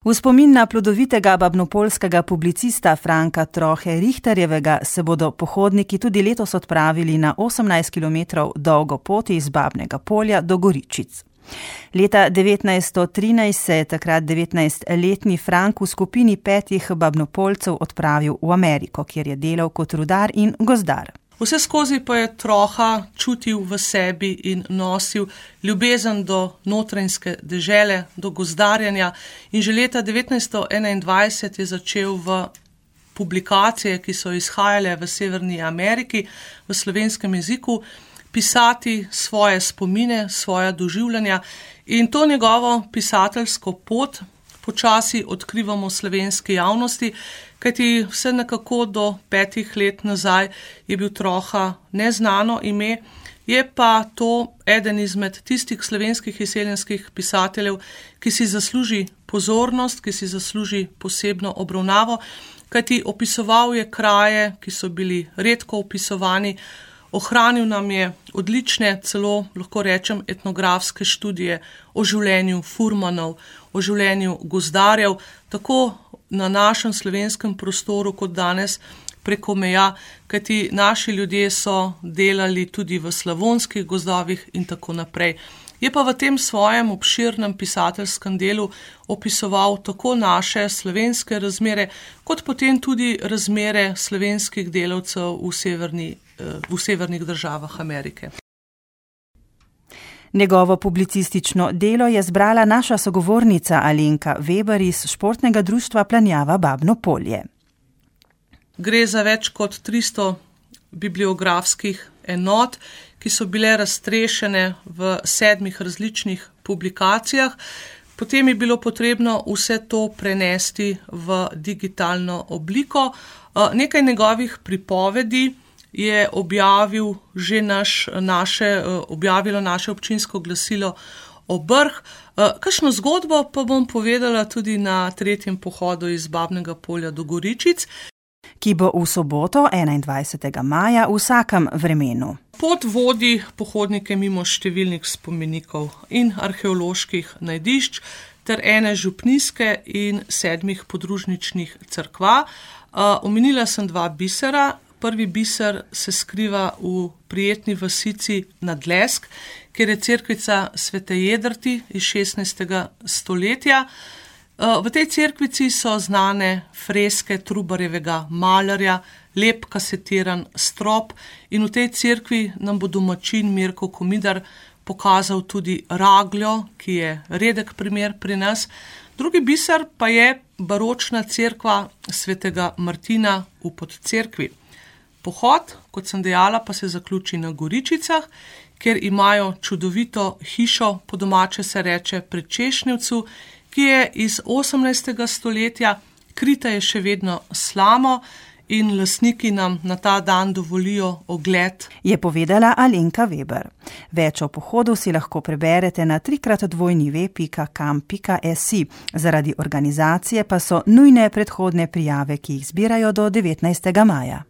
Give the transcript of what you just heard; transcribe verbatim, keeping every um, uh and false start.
V spomin na plodovitega babnopoljskega publicista Franka Trohe Richterjevega se bodo pohodniki tudi letos odpravili na osemnajst kilometrov dolgo pot iz Babnega Polja do Goričic. Leta devetnajststo trinajst se je takrat devetnajstletni Frank v skupini petih Babnopoljcev odpravil v Ameriko, kjer je delal kot rudar in gozdar. Vse skozi pa je Troha čutil v sebi in nosil ljubezen do notranjske dežele, do gozdarjenja in že leta devetnajststo enaindvajset je začel v publikacije, ki so izhajale v Severni Ameriki, v slovenskem jeziku, pisati svoje spomine, svoja doživljanja in to njegovo pisateljsko pot počasi odkrivamo slovenski javnosti, kajti vse nekako do petih let nazaj je bil Troha neznano ime, je pa to eden izmed tistih slovenskih izseljenskih pisateljev, ki si zasluži pozornost, ki si zasluži posebno obravnavo, kajti opisoval je kraje, ki so bili redko opisovani, ohranil nam je odlične, celo lahko rečem etnografske študije o življenju furmanov, o življenju gozdarjev, tako na našem slovenskem prostoru kot danes preko meja, kajti naši ljudje so delali tudi v slavonskih gozdovih in tako naprej. Je pa v tem svojem obširnem pisateljskem delu opisoval tako naše slovenske razmere, kot potem tudi razmere slovenskih delavcev v, severni, v severnih državah Amerike. Njegovo publicistično delo je zbrala naša sogovornica Alenka Veber iz športnega društva Planjava Babno Polje. Gre za več kot tristo bibliografskih enot, ki so bile raztrešene v sedmih različnih publikacijah. Potem je bilo potrebno vse to prenesti v digitalno obliko. Nekaj njegovih pripovedi je objavil že naš, naše, objavilo naše občinsko glasilo Obrh. Kakšno zgodbo pa bom povedala tudi na tretjem pohodu iz Babnega Polja do Goričic, ki bo v soboto enaindvajsetega maja v vsakem vremenu. Pot vodi pohodnike mimo številnih spomenikov in arheoloških najdišč ter ene župnijske in sedmih podružničnih cerkva. Omenila sem dva bisera. Prvi biser se skriva v prijetni vasici Nadlesk, kjer je cerkvica Svete Jedrti iz šestnajstega stoletja. V tej cerkvici so znane freske Trubarjevega malarja, lep kasetiran strop in v tej cerkvi nam bo domačin Mirko Komidar pokazal tudi ragljo, ki je redek primer pri nas. Drugi biser pa je baročna cerkva Svetega Martina v Podcerkvi. Pohod, kot sem dejala, pa se zaključi na Goričicah, kjer imajo čudovito hišo, po domače se reče pri Češnjevcu, ki je iz osemnajstega stoletja, krita je še vedno slamo in lastniki nam na ta dan dovolijo ogled. Je povedala Alenka Veber. Več o pohodu si lahko preberete na trikrat dvojni ve pika kam pika si. Zaradi organizacije pa so nujne predhodne prijave, ki jih zbirajo do devetnajstega maja.